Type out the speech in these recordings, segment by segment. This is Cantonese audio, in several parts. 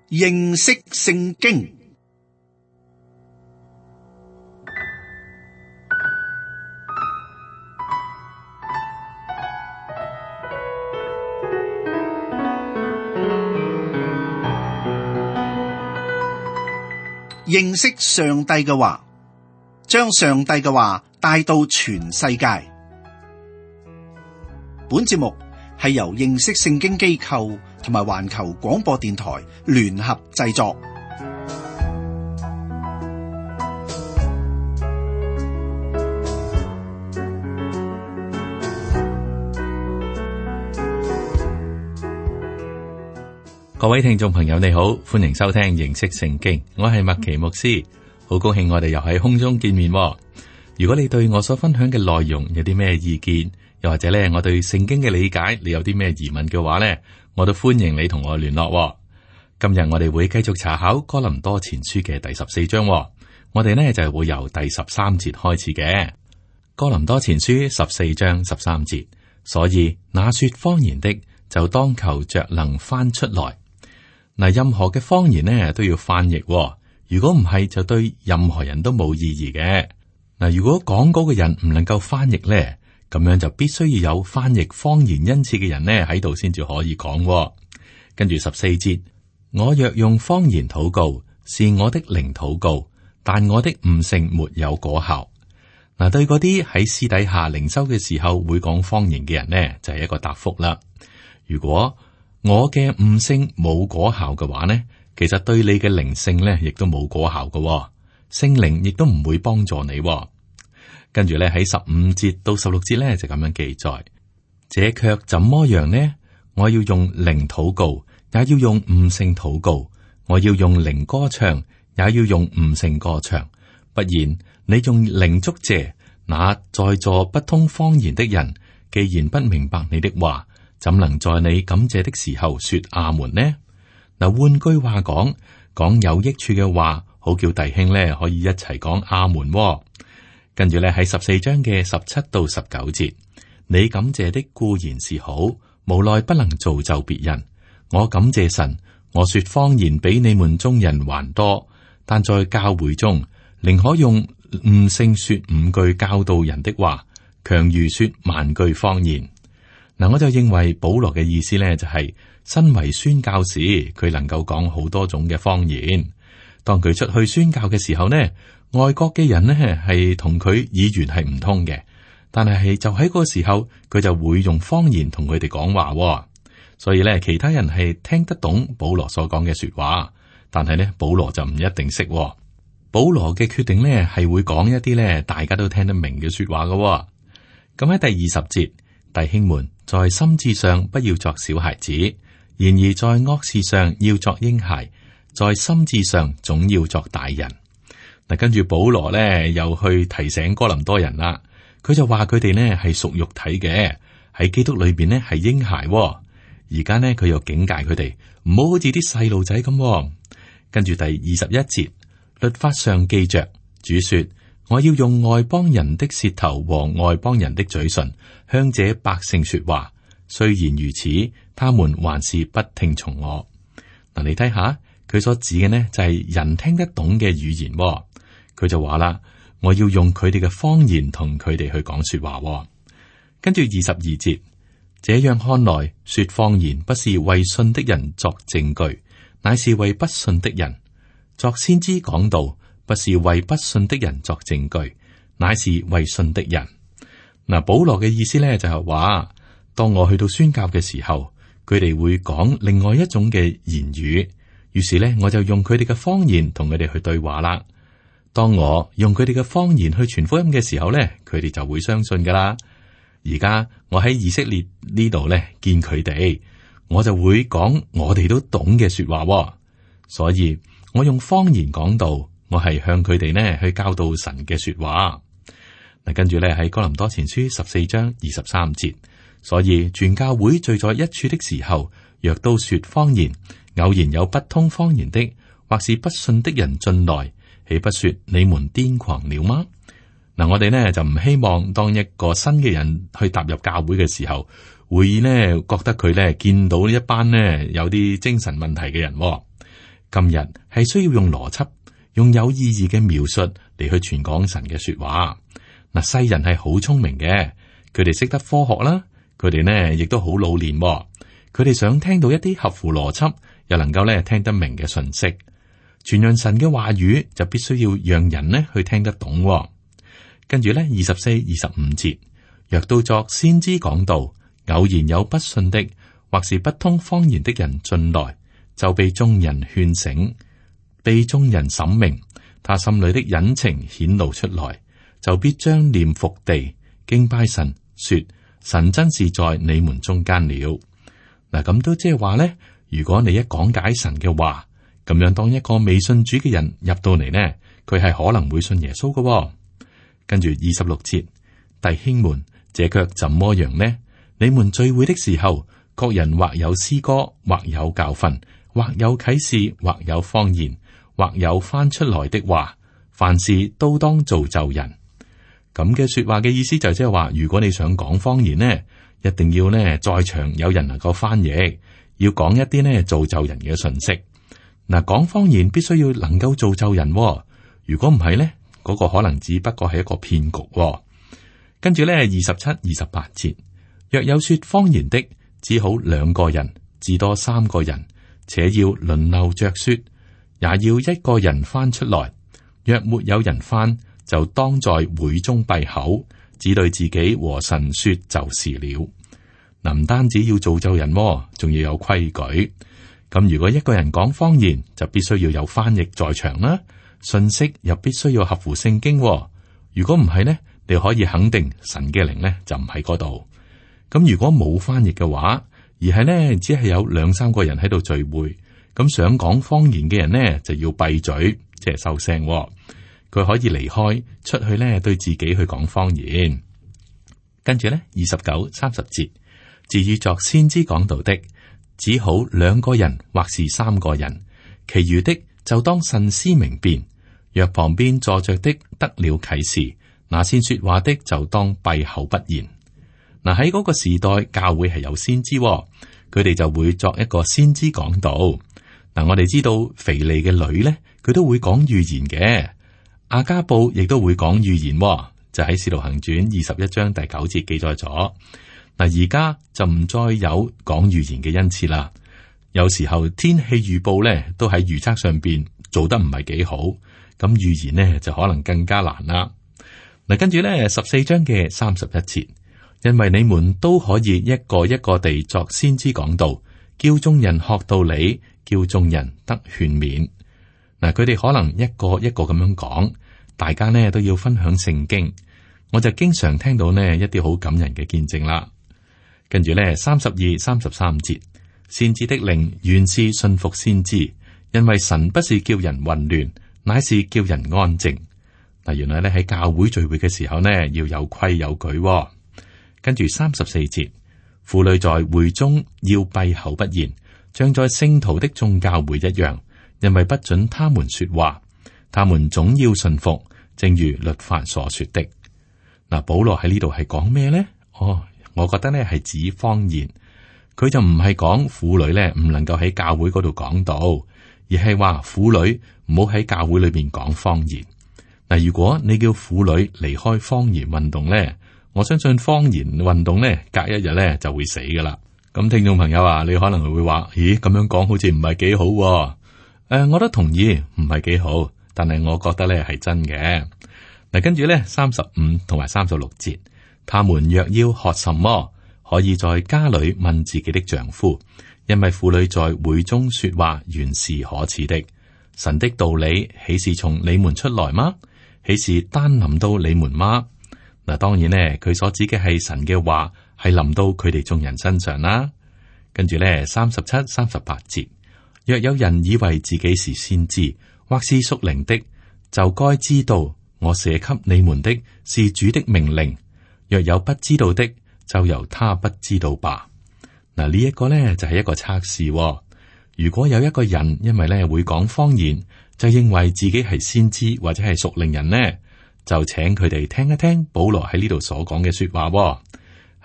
認識聖經。認識上帝嘅話，將上帝嘅話帶到全世界。本節目係由認識聖經機構同埋環球廣播電台聯合製作。各位聽眾朋友你好，歡迎收聽認識聖經，我係麥奇牧師，好高興我哋又喺空中見面。如果你對我所分享嘅內容有啲咩意見，又或者咧我對聖經嘅理解你有啲咩疑問嘅話呢，我都歡迎你同我聯絡。今日我哋會繼續查考哥林多前書嘅第14章，我哋呢就會由第13節開始嘅。哥林多前書14章13節，所以那說方言的就當求着能翻出來。嗱，任何嘅方言呢都要翻譯，如果唔係就對任何人都冇意義嘅。嗱，如果講嗰個人唔能夠翻譯呢，咁樣就必須要有翻譯方言恩賜嘅人呢喺度先至可以講。跟住14節，我若用方言禱告，是我的靈禱告，但我的悟性沒有果效。嗱，對嗰啲喺私底下靈修嘅時候會講方言嘅人呢，就係一個答覆啦。如果我嘅悟性冇果效嘅話呢，其實對你嘅靈性呢亦都冇果效嘅，聖靈亦都唔會幫助你。跟住咧喺15節到16節咧就咁樣記載，這卻怎麼樣呢？我要用靈禱告，也要用悟性禱告；我要用靈歌唱，也要用悟性歌唱。不然，你用靈祝謝，那在座不通方言的人，既然不明白你的話，怎能在你感謝的時候說阿門呢？嗱，換句話講，講有益處嘅話，好叫弟兄咧可以一齊講阿門。跟住咧喺14章嘅17到19節，你感謝的固然是好，無奈不能造就別人。我感謝神，我說方言比你們中人還多，但在教會中，寧可用悟性說5句教導人的話，強如說萬句方言。嗱，我就認為保羅嘅意思咧就係，身為宣教士，佢能夠講好多種嘅方言。當佢出去宣教嘅時候呢，外國嘅人呢係同佢語言係唔通嘅，但係就喺嗰個時候，佢就會用方言同佢哋講話。所以咧，其他人係聽得懂保羅所講嘅說話，但係呢，保羅就唔一定識。保羅嘅決定呢係會講一啲呢大家都聽得明嘅說話嘅。咁喺第20節，弟兄們，在心智上不要作小孩子，然而在惡事上要作嬰孩，在心智上總要作大人。嗱，跟住保羅咧又去提醒哥林多人啦，佢就話佢哋呢係屬肉體嘅，喺基督裏邊呢係嬰孩。而家呢，佢又警戒佢哋唔好好似啲細路仔咁。跟住第21節，律法上記着，主說，我要用外邦人的舌頭和外邦人的嘴唇向這百姓說話，雖然如此，他們還是不聽從我。嗱，你睇下佢所指嘅呢就係人聽得懂嘅語言。佢就話啦，我要用佢哋嘅方言同佢哋去講說話。跟住22節，這樣看來，說方言不是為信的人作證據，乃是為不信的人；作先知講道，不是為不信的人作證據，乃是為信的人。嗱，保羅嘅意思咧就係話，當我去到宣教嘅時候，佢哋會講另外一種嘅言語，於是咧我就用佢哋嘅方言同佢哋去對話啦。當我用佢哋嘅方言去傳福音嘅時候咧，佢哋就會相信噶啦。而家我喺以色列呢度咧見佢哋，我就會講我哋都懂嘅說話，所以我用方言講道，我係向佢哋呢去教導神嘅說話。嗱，跟住咧喺哥林多前書14章23節，所以全教會聚在一處的時候，若都說方言，偶然有不通方言的，或是不信的人進來，豈不說你們癲狂了嗎？嗱，我哋呢就唔希望當一個新嘅人去踏入教會嘅時候，會呢覺得佢呢見到一班呢有啲精神問題嘅人。今日係需要用邏輯、用有意義嘅描述嚟去傳講神嘅說話。嗱，世人係好聰明嘅，佢哋識得科學啦，佢哋呢亦都好老練，佢哋想聽到一啲合乎邏輯又能夠咧聽得明嘅信息。傳揚神嘅話語就必須要讓人呢去聽得懂。跟住呢，24、25節，若到作先知講道，偶然有不信的或是不通方言的人進來，就被眾人勸醒，被眾人審明，他心裏的隱情顯露出來，就必將臉伏地敬拜神，說神真是在你們中間了。嗱，咁都即係話咧，如果你一講解神嘅話，咁樣當一個未信主嘅人入到嚟呢，佢係可能會信耶穌嘅。跟住26節，弟兄們，這卻怎麼樣呢？你們聚會的時候，各人或有詩歌，或有教訓，或有啟示，或有方言，或有翻出來的話，凡事都當造就人。咁嘅說話嘅意思就即係話，如果你想講方言呢，一定要呢在場有人能夠翻譯，要講一啲呢造就人嘅信息。嗱，講方言必須要能夠造就人，如果唔係呢，嗰個可能只不過係一個騙局。跟住呢，27、28節，若有說方言的，只好2個人，至多3個人，且要輪流着說，也要1個人翻出來。若沒有人翻，就當在會中閉口，只對自己和神說就是了。嗱，唔單止要造就人，仲要有規矩。咁如果一個人講方言，就必須要有翻譯在場啦，信息又必須要合乎聖經。如果唔係呢，你可以肯定神嘅靈呢就唔喺嗰度。咁如果冇翻譯嘅話，而係呢只係有2、3個人喺度聚會，咁想講方言嘅人呢就要閉嘴，即係收聲。佢可以離開出去呢，對自己去講方言。跟住呢，29、30節，至於作先知講道的，只好2個人或是3個人，其餘的就當慎思明辨。若旁邊坐着的得了啟示，那先說話的就當閉口不言。嗱，喺嗰個時代，教會係有先知，佢哋就會作一個先知講道。嗱，我哋知道腓利嘅女呢，佢都會講預言嘅。阿加布亦都會講預言，就喺《使徒行傳》21章第9節記載咗。嗱，而家就唔再有講預言嘅恩賜啦。有時候天氣預報咧都喺預測上邊做得唔係幾好，咁預言呢就可能更加難啦。嗱，跟住咧14章嘅31節，因為你們都可以一個一個地作先知講道，叫眾人學道理，叫眾人得勸勉。嗱，佢哋可能一個一個咁樣講，大家呢都要分享聖經。我就經常聽到呢一啲好感人嘅見證啦。跟住呢32、33節，先知的靈原是信服先知，因為神不是叫人混亂，乃是叫人安靜。嗱，原來呢喺教會聚會嘅時候呢，要有規有矩。跟住34節，婦女在會中要閉口不言，像在聖徒的眾教會一樣。因為不准他們說話，他們總要順服，正如律法所說的。嗱，保羅喺呢度係講咩呢？我覺得呢係指方言，佢就唔係講婦女呢唔能夠喺教會嗰度講道，而係話婦女唔好喺教會裏邊講方言。嗱，如果你叫婦女離開方言運動呢，我相信方言運動呢隔一日呢就會死噶啦。咁聽眾朋友啊，你可能會話：咦，咁樣講好似唔係幾好。我都同意唔係幾好，但係我覺得咧係真嘅。嗱，跟住咧35同埋36節，他們若要學什麼，可以在家裏問自己的丈夫，因為婦女在會中說話原是可恥的。神的道理豈是從你們出來嗎？豈是單臨到你們嗎？嗱，當然呢，佢所指嘅係神嘅話係臨到佢哋眾人身上啦。跟住咧37、38節。若有人以為自己是先知，或是屬靈的，就該知道我寫給你們的是主的命令。若有不知道的，就由他不知道吧。嗱，呢一個呢就係一個測試。如果有一個人因為呢會講方言，就認為自己係先知或者係屬靈人呢，就請佢哋聽一聽保羅喺呢度所講嘅說話。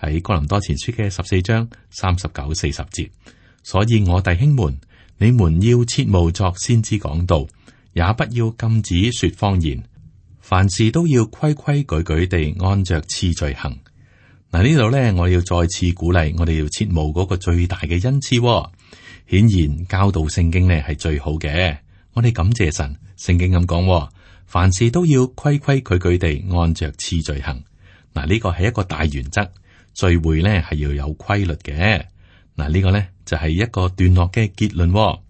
喺哥林多前書嘅14章39、40節。所以我弟兄們，你們要切勿作先知講道，也不要禁止說謊言，凡事都要規規矩矩地按着次序行。嗱，呢度呢，我要再次鼓勵我哋要切慕嗰個最大嘅恩賜。顯然教導聖經呢係最好嘅。我哋感謝神，聖經咁講，凡事都要規規矩矩地按着次序行。嗱，呢個係一個大原則，聚會呢係要有規律嘅。嗱，呢個呢就係一個段落嘅結論。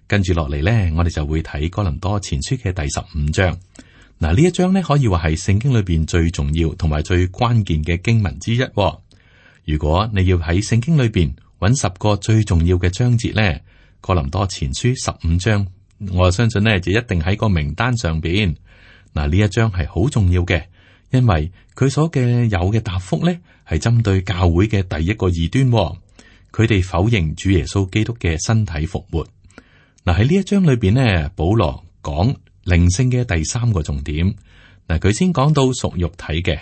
跟住落嚟呢，我哋就會睇哥林多前書嘅第15章。嗱，呢一章呢可以話係聖經裏邊最重要同埋最關鍵嘅經文之一。如果你要喺聖經裏邊揾10個最重要嘅章節呢，哥林多前書15章，我相信呢就一定喺個名單上邊。嗱，呢一章係好重要嘅，因為佢所嘅有嘅答覆呢係針對教會嘅第一個異端。佢哋否認主耶穌基督嘅身體復活。嗱，喺呢一章裏邊呢，保羅講靈性嘅第3個重點。嗱，佢先講到屬肉體嘅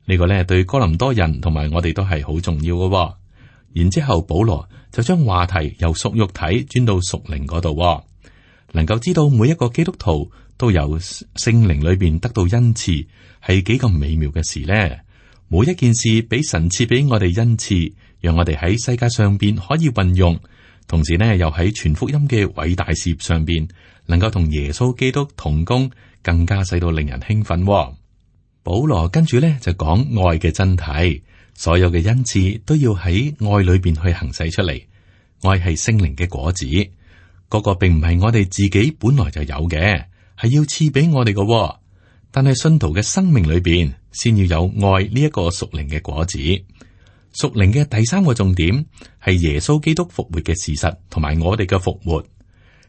呢個呢，對哥林多人同埋我哋都係好重要嘅。然之後保羅就將話題由屬肉體轉到屬靈嗰度。能夠知道每一個基督徒都由聖靈裏邊得到恩賜，係幾咁美妙嘅事呢？每一件事俾神賜俾我哋恩賜，讓我哋喺世界上邊可以運用，同時呢又喺傳福音嘅偉大事業上邊能夠同耶穌基督同工，更加使到令人興奮。保羅跟住呢就講愛嘅真諦，所有嘅恩賜都要喺愛裏邊去行使出嚟。愛係聖靈嘅果子，嗰個並唔係我哋自己本來就有嘅，係要賜俾我哋嘅。但係信徒嘅生命裏邊，先要有愛呢一個屬靈嘅果子。屬靈嘅第3個重點係耶穌基督復活嘅事實，同埋我哋嘅復活。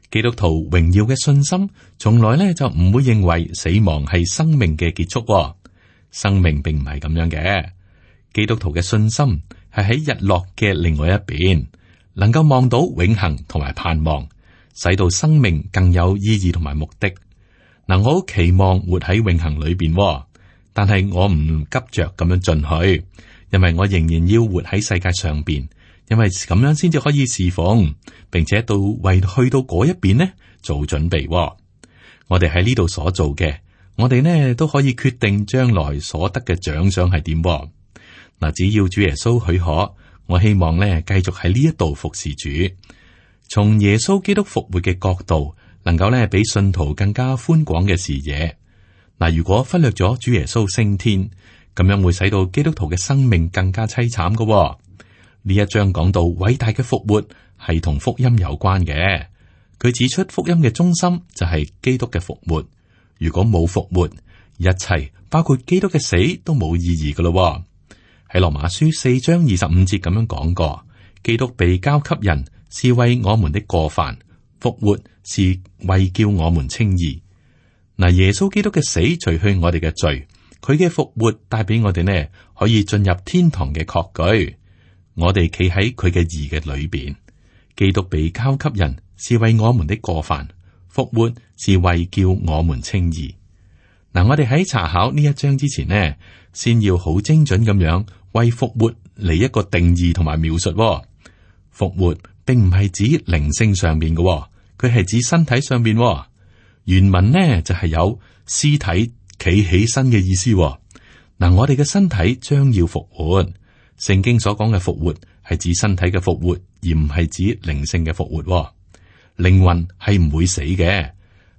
基督徒榮耀嘅信心，從來呢就唔會認為死亡係生命嘅結束。生命並唔係咁樣嘅。基督徒嘅信心係喺日落嘅另外一邊，能夠望到永恆同埋盼望，使到生命更有意義同埋目的。嗱，我好期望活喺永恆裏邊，但係我唔急着咁樣進去，因為我仍然要活喺世界上邊，因為咁樣先至可以侍奉，並且為去到嗰一邊呢做準備。我哋喺呢度所做嘅，我哋呢都可以決定將來所得嘅獎賞係點。嗱，只要主耶穌許可，我希望呢繼續喺呢一度服侍主，從耶穌基督復活嘅角度，能夠呢俾信徒更加寬廣嘅視野。嗱，如果忽略咗主耶穌升天，咁樣會使到基督徒嘅生命更加淒慘嘅。呢一章講到偉大嘅復活係同福音有關嘅，佢指出福音嘅中心就係基督嘅復活。如果冇復活，一切包括基督嘅死都冇意義噶咯。喺羅馬書4章25節咁樣講過，基督被交給人是為我們的過犯，復活是為叫我們稱義。嗱，耶穌基督嘅死除去我哋嘅罪，佢嘅復活帶俾我哋呢可以進入天堂嘅確據。我哋企喺佢嘅義嘅裏邊，基督被交給人是為我們的過犯，復活是為叫我們稱義。嗱，我哋喺查考呢一章之前呢，先要好精準咁樣為復活嚟一個定義同埋描述。復活並唔係指靈性上邊嘅，佢係指身體上邊。原文呢就係有屍體企起身嘅意思。嗱，我哋嘅身體將要復活。聖經所講嘅復活係指身體嘅復活，而唔係指靈性嘅復活。靈魂係唔會死嘅，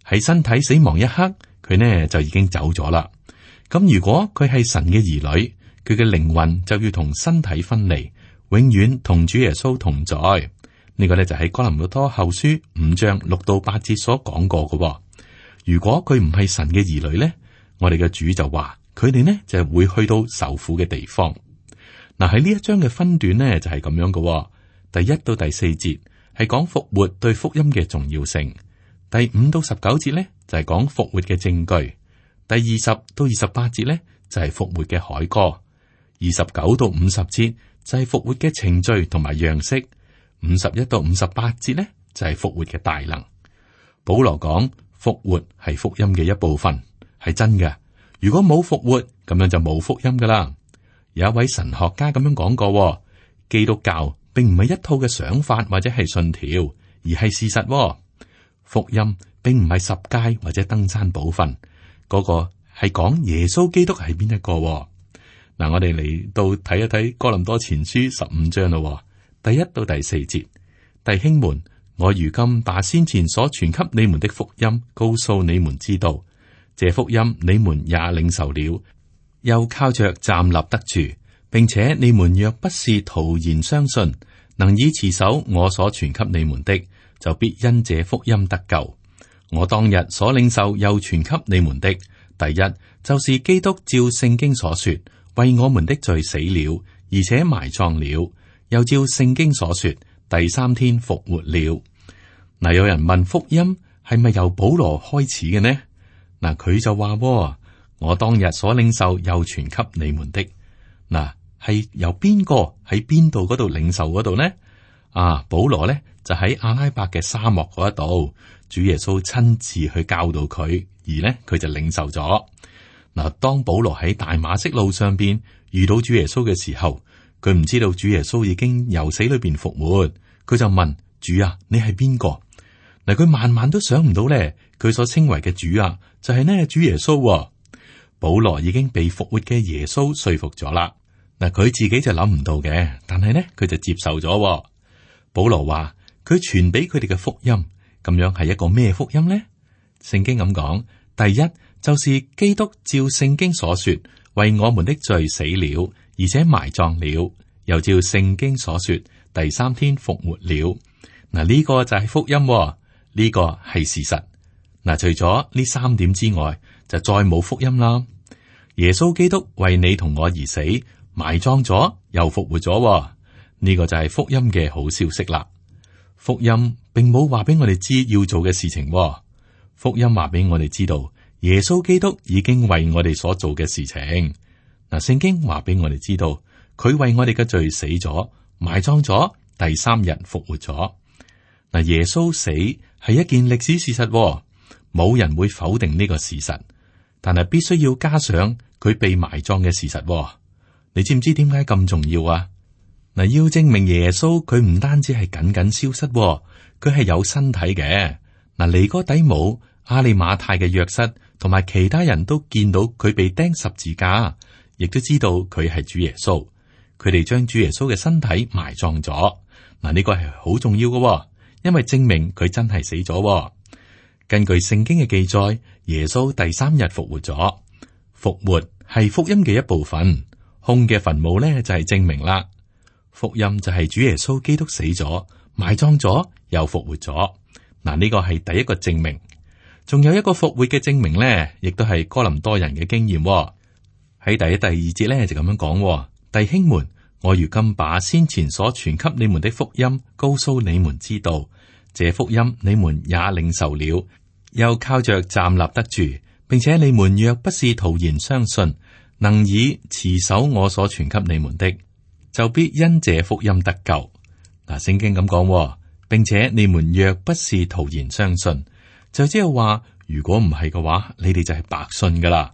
喺身體死亡一刻，佢呢就已經走咗啦。咁如果佢係神嘅兒女，佢嘅靈魂就要同身體分離，永遠同主耶穌同在。呢個呢就係哥林多後書5章6到8節所講過嘅。如果佢唔係神嘅兒女呢，我哋嘅主就話佢哋呢就會去到受苦嘅地方。嗱，喺呢一章嘅分段呢，就係咁樣嘅。第1到第4節係講復活對福音嘅重要性，第5到19節呢，就係講復活嘅證據，第20到28節呢，就係復活嘅凱歌，29到50節就係復活嘅程序同埋樣式，51到58節呢，就係復活嘅大能。保羅講復活係福音嘅一部分，係真嘅。如果冇復活，咁樣就冇福音噶啦。有一位神學家咁樣講過，基督教並唔係一套嘅想法或者係信條，而係事實喎。福音並唔係十誡或者登山寶訓，嗰個係講耶穌基督係邊一個喎。嗱，我哋嚟到睇一睇哥林多前書15章咯，第1到第4節。弟兄們，我如今把先前所傳給你們的福音告訴你們知道，這福音你們也領受了，又靠着站立得住，並且你們若不是徒然相信，能以持守我所傳給你們的，就必因這福音得救。我當日所領受又傳給你們的，第一就是基督照聖經所說，為我們的罪死了，而且埋葬了，又照聖經所說，第3天復活了。嗱，有人問福音係咪由保羅開始嘅呢？嗱，佢就話：我當日所領受又傳給你們的。嗱，係由邊個喺邊度嗰度領受嗰度呢？保羅呢就喺阿拉伯嘅沙漠嗰度，主耶穌親自去教導佢，而呢佢就領受咗。嗱，當保羅喺大馬色路上邊遇到主耶穌嘅時候，佢唔知道主耶穌已經由死裏邊復活，佢就問主啊，你係邊個？嗱，佢萬萬都想唔到咧，佢所稱為嘅主啊，就係呢主耶穌。保羅已經被復活嘅耶穌說服咗啦。嗱，佢自己就諗唔到嘅，但係呢佢就接受咗。保羅話佢傳俾佢哋嘅福音，咁樣係一個咩福音呢？聖經咁講，第一就是基督照聖經所說，為我們的罪死了，而且埋葬了，又照聖經所說，第3天復活了。嗱，呢個就係福音，呢個係事實。嗱，除咗呢3點之外，就再冇福音啦。耶穌基督為你同我而死，埋葬咗，又復活咗。呢個就係福音嘅好消息啦。福音並冇話俾我哋知要做嘅事情，福音話俾我哋知道耶穌基督已經為我哋所做嘅事情。嗱，聖經話俾我哋知道佢為我哋嘅罪死咗，埋葬咗，第3日復活咗。嗱，耶穌死係一件歷史事實，冇人會否定呢個事實，但係必須要加上佢被埋葬嘅事實。你知唔知點解咁重要啊？嗱，要證明耶穌佢唔單止係僅僅消失，佢係有身體嘅。嗱，尼哥底母、亞利馬太嘅約瑟同埋其他人都見到佢被釘十字架，亦都知道佢係主耶穌。佢哋將主耶穌嘅身體埋葬咗。嗱，呢個係好重要嘅，因為證明佢真係死咗。根據聖經嘅記載，耶穌第3日復活咗。復活係福音嘅一部分，空嘅墳墓呢就係證明啦。福音就係主耶穌基督死咗、埋葬咗又復活咗。嗱，呢個係第一個證明。仲有一個復活嘅證明呢，亦都係哥林多人嘅經驗。喺第1、第2節呢就咁樣講：弟兄們，我如今把先前所傳給你們的福音告訴你們知道，這福音你們也領受了，又靠着站立得住，並且你們若不是徒然相信，能以持守我所傳給你們的，就必因這福音得救。嗱，聖經咁講，並且你們若不是徒然相信，就即係話，如果唔係嘅話，你哋就係白信噶啦。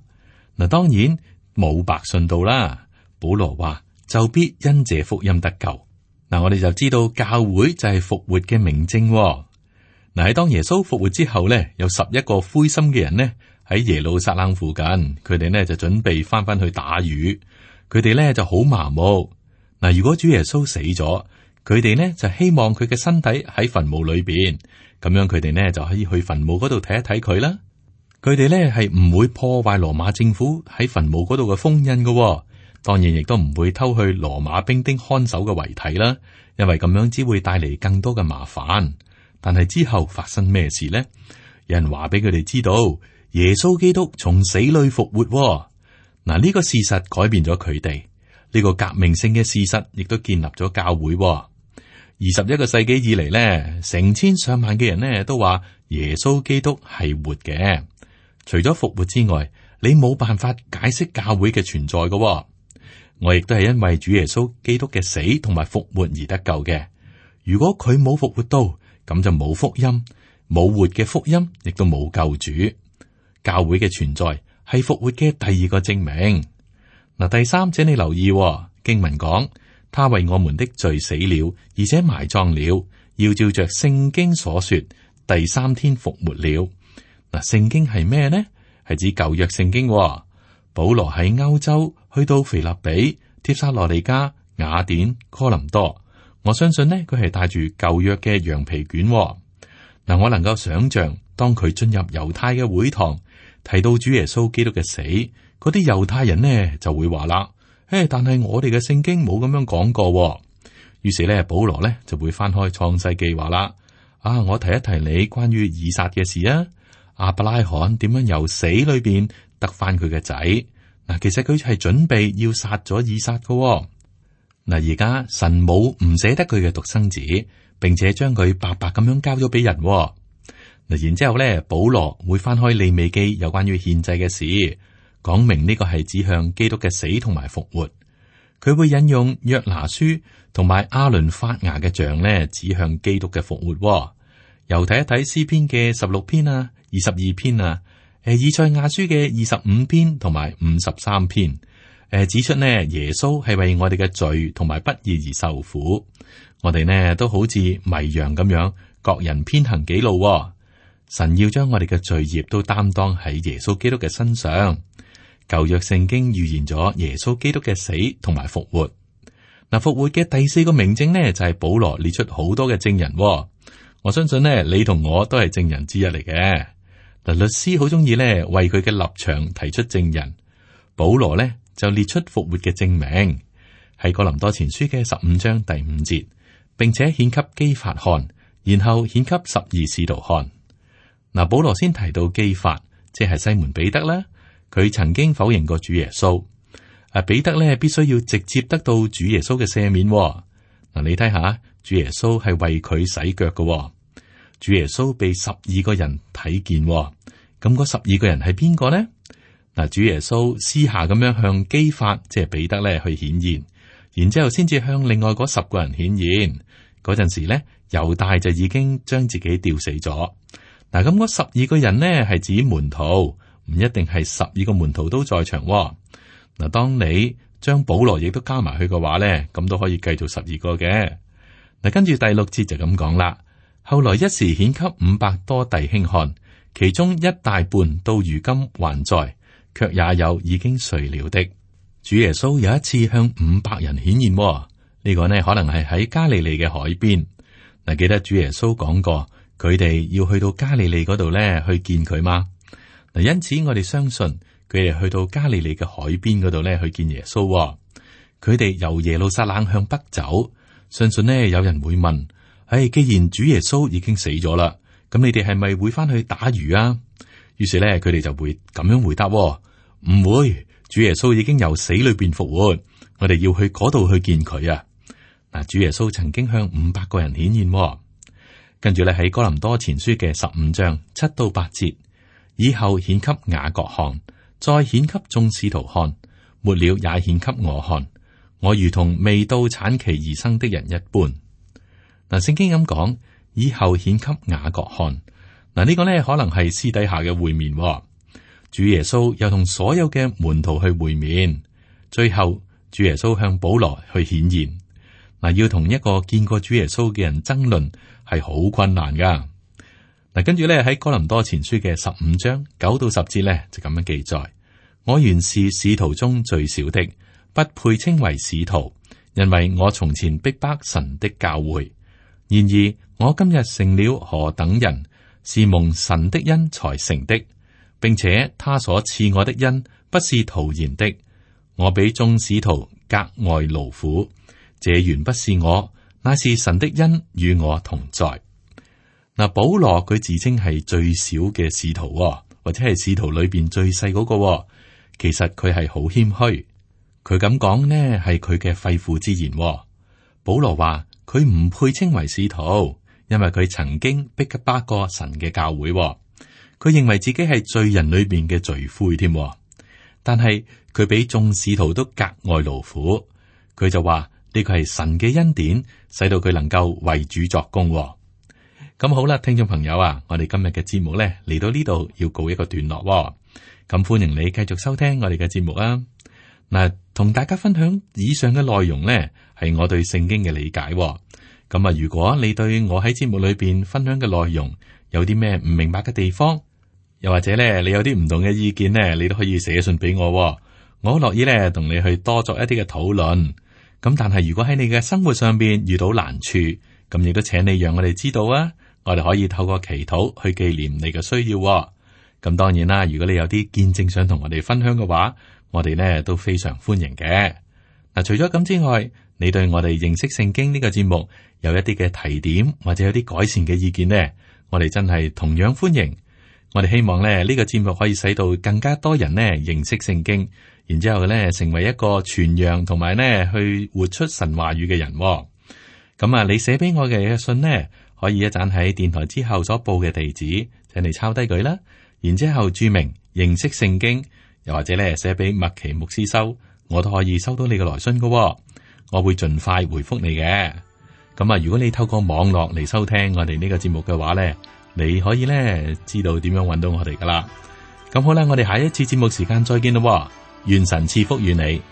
嗱，當然冇白信到啦。保羅話就必因這福音得救。嗱，我哋就知道教會就係復活嘅明證。嗱，喺當耶穌復活之後呢，有11個灰心嘅人呢喺耶路撒冷附近，佢哋呢就準備翻去打魚，佢哋呢就好麻木。嗱，如果主耶穌死咗，佢哋呢就希望佢嘅身體喺墳墓裏邊，咁樣佢哋呢就可以去墳墓嗰度睇一睇佢啦。佢哋呢係唔會破壞羅馬政府喺墳墓嗰度嘅封印嘅，當然亦都唔會偷去羅馬兵丁看守嘅遺體啦，因為咁樣只會帶嚟更多嘅麻煩。但係之後發生咩事呢？有人話俾佢哋知道，耶穌基督從死裏復活。嗱，呢個事實改變咗佢哋，呢個革命性嘅事實亦都建立咗教會。21個世紀以嚟呢，成千上萬嘅人呢都話耶穌基督係活嘅。除咗復活之外，你冇辦法解釋教會嘅存在嘅。我亦都係因為主耶穌基督嘅死同埋復活而得救嘅。如果佢冇復活到，咁就冇福音，冇活嘅福音，亦都冇救主。教會嘅存在係復活嘅第2個證明。嗱，第3者你留意，經文講，他為我們的罪死了，而且埋葬了，要照着聖經所說，第三天復活了。嗱，聖經係咩呢？係指舊約聖經。保羅喺歐洲去到腓立比、帖撒羅尼迦、雅典、哥林多，我相信呢，佢係帶住舊約嘅羊皮卷。嗱，我能夠想象，當佢進入猶太嘅會堂，提到主耶穌基督嘅死，嗰啲猶太人呢就會話啦：但係我哋嘅聖經冇咁樣講過。於是咧，保羅咧就會翻開創世記話啦：我提一提你關於以撒嘅事啊，亞伯拉罕點樣由死裏邊得翻佢嘅仔。嗱，其實佢係準備要殺咗以撒㗎。嗱，而家神冇唔捨得佢嘅獨生子，並且將佢白白咁樣交咗俾人。嗱，然之後咧，保羅會翻開利未記有關於獻祭嘅事，講明呢個係指向基督嘅死同埋復活。佢會引用約拿書同埋亞倫發芽嘅像咧，指向基督嘅復活。又睇一睇詩篇嘅16篇啊、22篇啊，以賽亞書嘅25篇同埋53篇，指出呢耶穌係為我哋嘅罪同埋不義而受苦。我哋呢都好似迷羊咁樣，各人偏行己路。神要將我哋嘅罪孽都擔當喺耶穌基督嘅身上。舊約聖經預言咗耶穌基督嘅死同埋復活。嗱，復活嘅第四個明證呢，就係保羅列出好多嘅證人。我相信呢，你同我都係證人之一嚟嘅。嗱，律師好中意呢為佢嘅立場提出證人。保羅呢就列出復活嘅證明，喺哥林多前書嘅15章第5節，並且顯給基法看，然後顯給12使徒看。嗱，保羅先提到基法，即係西門彼得啦。佢曾經否認過主耶穌。彼得咧必須要直接得到主耶穌嘅赦免。嗱，你睇下，主耶穌係為佢洗腳嘅。主耶穌被12個人睇見，咁嗰12個人係邊個呢？嗱，主耶穌私下咁樣向基法，即係彼得咧去顯現，然之後先至向另外嗰10個人顯現。嗰陣時咧，猶大就已經將自己吊死咗。嗱，咁嗰12個人呢係指門徒。唔一定係12個門徒都在場。嗱，當你將保羅亦都加埋去嘅話咧，咁都可以計做12個嘅。嗱，跟住第6節就咁講啦。後來一時顯給500多弟兄看，其中一大半到如今還在，卻也有已經睡了的。主耶穌有一次向500人顯現，呢個呢可能係喺加利利嘅海邊。嗱，記得主耶穌講過，佢哋要去到加利利嗰度咧去見佢嘛。嗱，因此我哋相信佢哋去到加利利嘅海邊嗰度咧去見耶穌。佢哋由耶路撒冷向北走，相信呢有人會問：既然主耶穌已經死咗啦，咁你哋係咪會翻去打魚啊？於是咧佢哋就會咁樣回答：唔會，主耶穌已經由死裏邊復活，我哋要去嗰度去見佢啊！嗱，主耶穌曾經向500個人顯現，跟住咧喺哥林多前書嘅15章7到8節。以後顯給雅各看，再顯給眾使徒看，末了也顯給我看。我如同未到產期而生的人一般。嗱，聖經咁講，以後顯給雅各看。嗱，呢個呢可能係私底下嘅會面。主耶穌又同所有嘅門徒去會面，最後主耶穌向保羅去顯現。嗱，要同一個見過主耶穌嘅人爭論係好困難噶。嗱，跟住咧喺哥林多前書嘅15章9到10節咧就咁樣記載：我原是使徒中最小的，不配稱為使徒，因為我從前逼迫神的教會。然而我今日成了何等人，是蒙神的恩才成的，並且他所賜我的恩不是徒然的。我比眾使徒格外勞苦，這原不是我，乃是神的恩與我同在。嗱，保羅佢自稱係最小嘅使徒，或者係使徒裏邊最細嗰個。其實佢係好謙虛，佢咁講呢係佢嘅肺腑之言。保羅話佢唔配稱為使徒，因為佢曾經逼迫過神嘅教會。佢認為自己係罪人裏邊嘅罪魁添。但係佢比眾使徒都格外勞苦。佢就話呢個係神嘅恩典，使到佢能夠為主作工。咁好啦，聽眾朋友啊，我哋今日嘅節目咧嚟到呢度要告一個段落。咁歡迎你繼續收聽我哋嘅節目啊！嗱，同大家分享以上嘅內容呢，係我對聖經嘅理解。咁啊，如果你對我喺節目裏邊分享嘅內容有啲咩唔明白嘅地方，又或者咧你有啲唔同嘅意見呢，你都可以寫信俾我，我好樂意咧同你去多作一啲嘅討論。咁但係如果喺你嘅生活上邊遇到難處，咁亦都請你讓我哋知道啊，我哋可以透過祈禱去紀念你嘅需要。咁當然啦，如果你有啲見證想同我哋分享嘅話，我哋呢都非常歡迎嘅。嗱，除咗咁之外，你對我哋認識聖經呢個節目有一啲嘅提點或者有啲改善嘅意見呢，我哋真係同樣歡迎。我哋希望咧呢個節目可以使到更加多人呢認識聖經，然之後咧成為一個傳揚同埋呢去活出神話語嘅人。咁啊，你寫俾我嘅信呢，可以一陣喺電台之後所報嘅地址，請你抄低佢啦。然之後注明認識聖經，又或者咧寫俾麥奇牧師收，我都可以收到你嘅來信㗎。我會盡快回覆你嘅。咁啊，如果你透過網絡嚟收聽我哋呢個節目嘅話咧，你可以咧知道點樣搵到我哋噶啦。咁好啦，我哋下一次節目時間再見咯。願神賜福於你。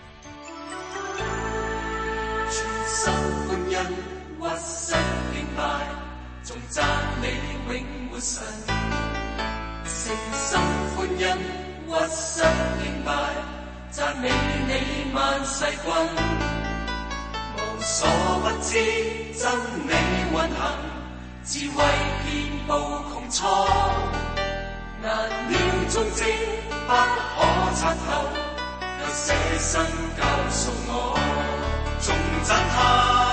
無所不知真理運行，智慧遍佈穹蒼，難料終極不可測透，卻捨身教導我，頌讚他。